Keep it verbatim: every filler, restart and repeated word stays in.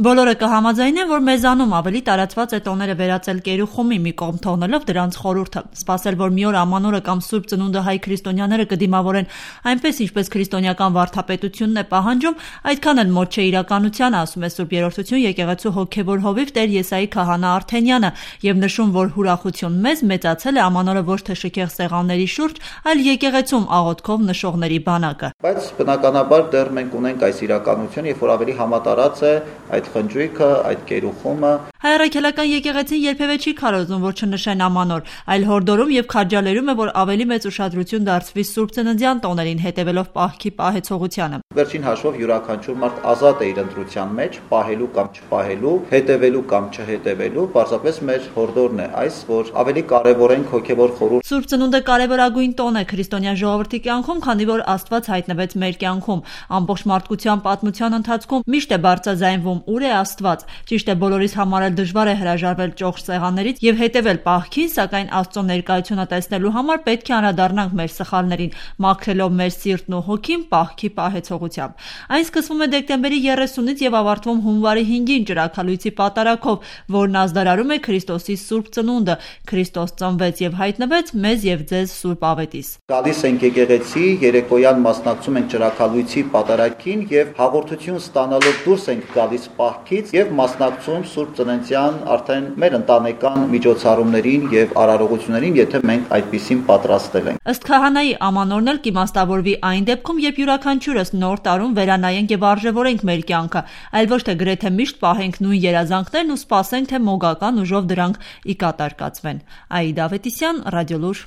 Բոլորը կհամաձայնեն, որ մեզանում ավելի տարածված է տոները վերածել կերուխումի, մի կողմ թողնելով դրանց խորհուրդը։ Սպասել, որ մի օր ամանորը կամ Սուրբ Ծնունդը հայ քրիստոնյաները կդիմավորեն այնպես, ինչպես քրիստոնեական վարդապետությունն է պահանջում, այդքան էլ մոտ չէ իրականությանը, ասում է Սուրբ Երրորդություն եկեղեցու հոգևոր հովիվ Տեր Եսայի քահանա Արթենյանը եւ նշում, որ հուրախություն մեզ մեծացել է ամանորը ոչ թե շքեղ սեղանների շուրջ, այլ եկեղեցում աղոթքով նշողների բանակը։ Բայց բնականաբար դեռ մենք ունենք այս իրականությունը, երբ որ ավելի համատարած է այդ խնջույքը, այդ կերուխումը։ Հայ առաքելական եկեղեցին երբևէ չի քարոզում, որ չնշեն ամանոր, այլ հորդորում եւ քաջալերում է, որ ավելի մեծ ուշադրություն դարձվի Սուրբ Ծննդյան տոներին, հետեւելով պահքի պահեցողությանը։ Վերջին հաշվով յուրաքանչյուր մարդ ազատ է իր ընտրության մեջ, պահելու կամ չպահելու, հետևելու կամ չհետևելու, պարզապես մեր հորդորն է այս, որ ավելի կարևորենք հոգևոր խորհուրդ։ Սուրբ Ծնունդը կարևորագույն տոն է քրիստոնյա ժողովրդի կյանքում, քանի որ Աստված հայտնվեց մեր կյանքում։ Ամբողջ մարդկության պատմության ընթացքում միշտ է բարձրաձայնվում ուր է Աստված։ Ճիշտ է, բոլորիս համար էլ դժվար է հրաժարվել ճոխ սեղաններից եւ հետեւել պահքին, սակայն Աստծո ներկայությունը տեսնելու համար պետք է անդրադառնանք մեր սխալներին, մաքրելով մեր սիրտն ու հոգին պահքի պահեցողությամբ։ Այն սկսվում է դեկտեմբերի երեսունից եւ ավարտվում հունվարի հինգին ճրագալույցի պատարագով, որն ազդարարում է Քրիստոսի Սուրբ Ծնունդը։ Քրիստոս ծնվեց եւ հայտնվեց մեզ եւ ձեզ Սուրբ Ավետիս։ Գալիս ենք եկեղեցի, երեկոյան մասնակցում ենք ճրագալույցի պատարագին եւ հաղորդություն ստանալով դուրս ենք գալիս պահքից եւ մասնակցում Սուրբ Ծննդյան արդեն մեր ընտանեկան միջոցառումներին եւ արարողություններին, եթե մենք այդպիսին պատրաստել ենք։ Ըստ քահանայի ամանորն էլ կիմաստավորվի այն դեպքում, երբ յուրաքանչյուրս նոր տարում վերանայենք եւ արժեվորենք մեր կյանքը, այլ ոչ թե գրեթե միշտ պահենք նույն երազանքներն ու սպասենք, թե մոգական ուժով դրանք ի կատար կացվեն։ Աիդա Ավետիսյան, Ռադիոլուր։